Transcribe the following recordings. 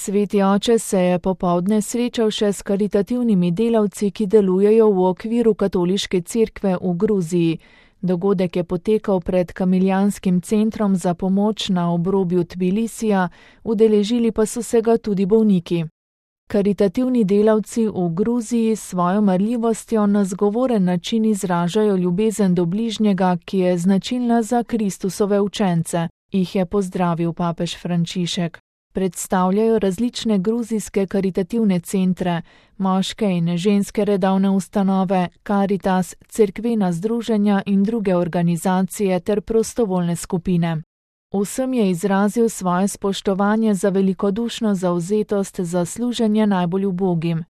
Sveti oče se je popoldne srečal še s karitativnimi delavci, ki delujejo v okviru katoliške cerkve v Gruziji. Dogodek je potekal pred Kamiljanskim centrom za pomoč na obrobju Tbilisija, udeležili pa so se ga tudi bolniki. Karitativni delavci v Gruziji s svojo marljivostjo na zgovoren način izražajo ljubezen do bližnjega, ki je značilna za Kristusove učence, jih je pozdravil papež Frančišek. Predstavljajo različne gruzijske karitativne centre, moške in ženske redovne ustanove, Karitas, cerkvena združenja in druge organizacije ter prostovoljne skupine. Vsem je izrazil svoje spoštovanje za velikodušno zavzetost za služenje najbolj ubogim.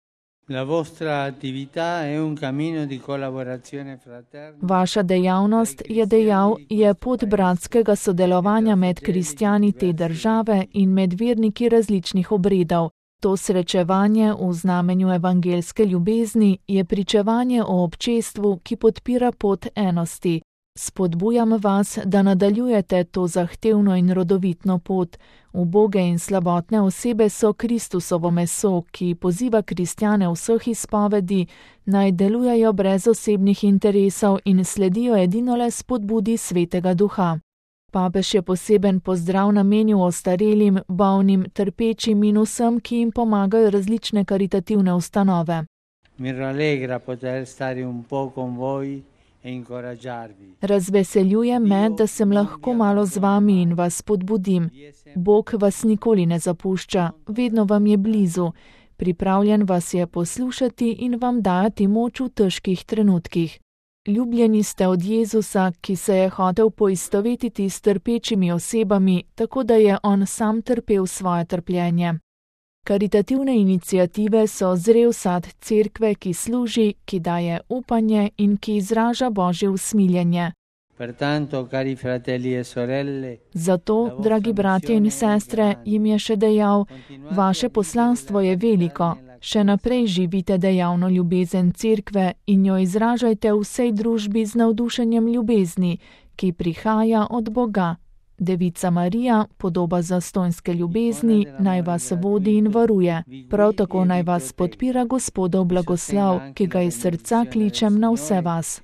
Vaša dejavnost, je dejal, je pot bratskega sodelovanja med kristjani te države in med verniki različnih obredov. To srečevanje v znamenju evangeljske ljubezni je pričevanje o občestvu, ki podpira pot enosti. Spodbujam vas, da nadaljujete to zahtevno in rodovitno pot. Uboge in slabotne osebe so Kristusovo meso, ki poziva kristjane vseh izpovedi, naj delujejo brez osebnih interesov in sledijo edinole spodbudi Svetega Duha. Papež je poseben pozdrav namenil ostarelim, bolnim, trpečim in vsem, ki jim pomagajo različne karitativne ustanove. Mi rallegra poter stare un po' con voi. Razveseljuje me, da sem lahko malo z vami in vas spodbudim. Bog vas nikoli ne zapušča, vedno vam je blizu. Pripravljen vas je poslušati in vam dajati moč v težkih trenutkih. Ljubljeni ste od Jezusa, ki se je hotel poistovetiti s trpečimi osebami, tako da je on sam trpel svoje trpljenje. Karitativne iniciative so zrel sad cerkve, ki služi, ki daje upanje in ki izraža Božje usmiljenje. Zato, dragi bratje in sestre, jim je še dejal, vaše poslanstvo je veliko, še naprej živite dejavno ljubezen cerkve in jo izražajte v vsej družbi z navdušenjem ljubezni, ki prihaja od Boga. Devica Marija, podoba zastonjske ljubezni, naj vas vodi in varuje. Prav tako naj vas podpira Gospodov blagoslav, ki ga iz srca kličem na vse vas.